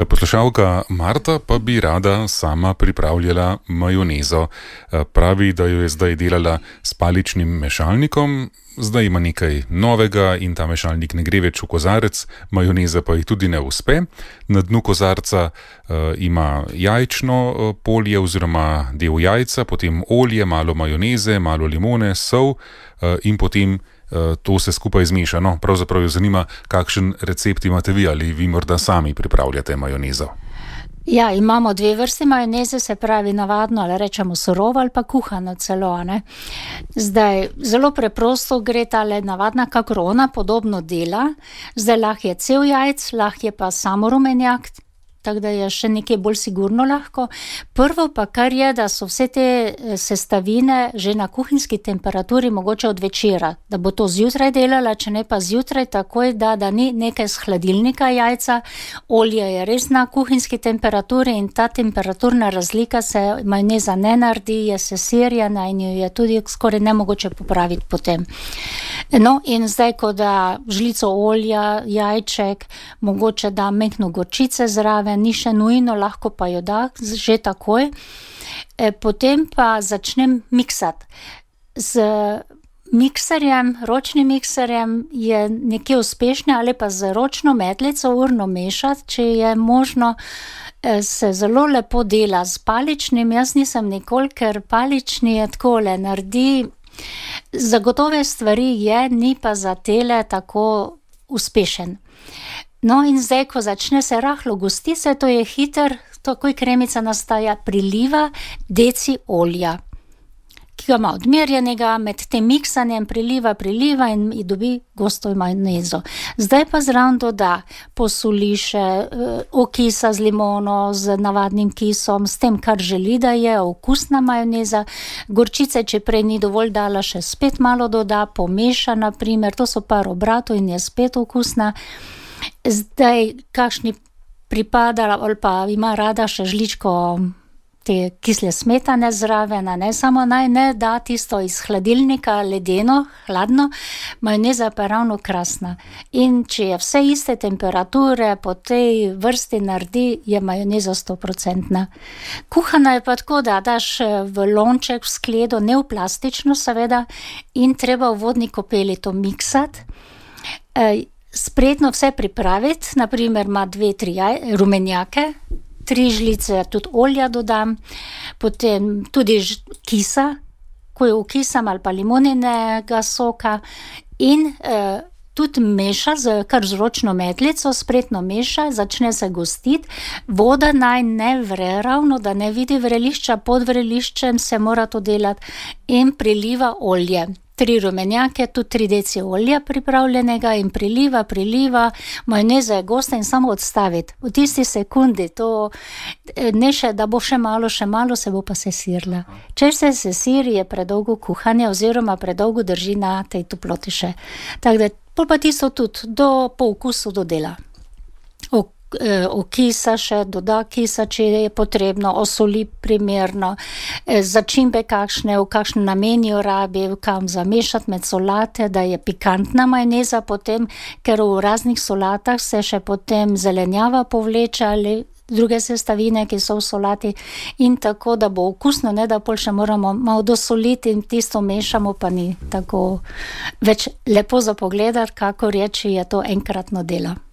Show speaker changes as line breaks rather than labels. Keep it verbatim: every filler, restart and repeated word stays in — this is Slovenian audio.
Poslušalka Marta pa bi rada sama pripravljala majonezo. Pravi, da jo je zdaj delala s paličnim mešalnikom, zdaj ima nekaj novega in ta mešalnik ne gre več v kozarec, majoneza pa ji tudi ne uspe. Na dnu kozarca uh, ima jajčno uh, polje oziroma del jajca, potem olje, malo majoneze, malo limone, sol uh, in potem to se skupaj zmeša. No, pravzaprav jo zanima, kakšen recept imate vi, ali vi morda sami pripravljate majonezo.
Ja, imamo dve vrsti majoneze, se pravi navadno, ali rečemo surovo ali pa kuhano celo, ne. Zdaj, zelo preprosto gre tale navadna kakrona, podobno dela. Zdaj, lahko je cel jajc, lahko je pa samo rumenjak, tako da je še nekaj bolj sigurno lahko. Prvo pa kar je, da so vse te sestavine že na kuhinjski temperaturi mogoče od večera, da bo to zjutraj delala, če ne pa zjutraj takoj, da, da ni nekaj z hladilnika jajca. Olje je res na kuhinjski temperaturi in ta temperaturna razlika se majoneza ne naredi, je sesirjena in jo je tudi skoraj nemogoče popraviti potem. No, in zdaj, ko da žlico olja, jajček, mogoče da mehko gorčice zraven, ni še nujno, lahko pa jo da že takoj. E, potem pa začnem miksati. Z mikserjem, ročnim mikserjem je nekje uspešne ali pa z ročno metlico urno mešati, če je možno, e, se zelo lepo dela. Z paličnim jaz nisem nikoli, ker palični je takole, naredi zagotove stvari je, ni pa za tele tako uspešen. No, in zdaj, ko začne se rahlo gosti, se to je hiter, takoj kremica nastaja, priliva deci olja, ki ga ima odmerjenega, med tem miksanjem priliva, priliva in dobi gosto majonezo. Zdaj pa zraven doda, posoli še okisa z limono, z navadnim kisom, s tem, kar želi, da je okusna majoneza. Gorčice, če prej ni dovolj dala, še spet malo doda, pomeša, na primer, to so par obratov in je spet okusna. Zdaj, kakšni pripada ali pa ima rada še žličko te kisle smetane zraven, ne, samo naj ne da tisto iz hladilnika ledeno, hladno, majoneza pa je ravno krasna. In če je vse iste temperature, po tej vrsti naredi, je majoneza stoprocentna. Kuhana je pa tako, da daš v lonček, v skledo, ne v plastično seveda, in treba v vodni kopeli to miksati. E, spretno vse pripraviti, na primer ima dve, tri jaj, rumenjake, tri žlice tudi olja dodam, potem tudi kisa, ko jo ukisam, ali pa limoninega soka, in eh, tudi meša, z, kar z ročno metlico, spretno meša, začne se gostiti, voda naj ne vre ravno, da ne vidi vrelišča, pod vreliščem se mora to delati, in priliva olje. Tri rumenjake, tudi tri deci olja pripravljenega in priliva, priliva, majoneza je gosta in samo odstaviti. V tisti sekundi to ne še, da bo še malo, še malo, se bo pa sesirila. Če se sesiri, je predolgo kuhanje oziroma predolgo drži na tej toploti še. Tako da, pol pa tisto tudi do po okusu dodela. Ok. Okisa še, doda kisa, če je potrebno, osoli primerno, začimbe kakšne, v kakšen namen jo rabi, kam zamešati med solate, da je pikantna majoneza potem, ker v raznih solatah se še potem zelenjava povleče ali druge sestavine, ki so v solati, in tako, da bo okusno, ne da pol še moramo malo dosoliti in tisto mešamo, pa ni tako več lepo za pogledati, kakor je, če je to enkratno delo.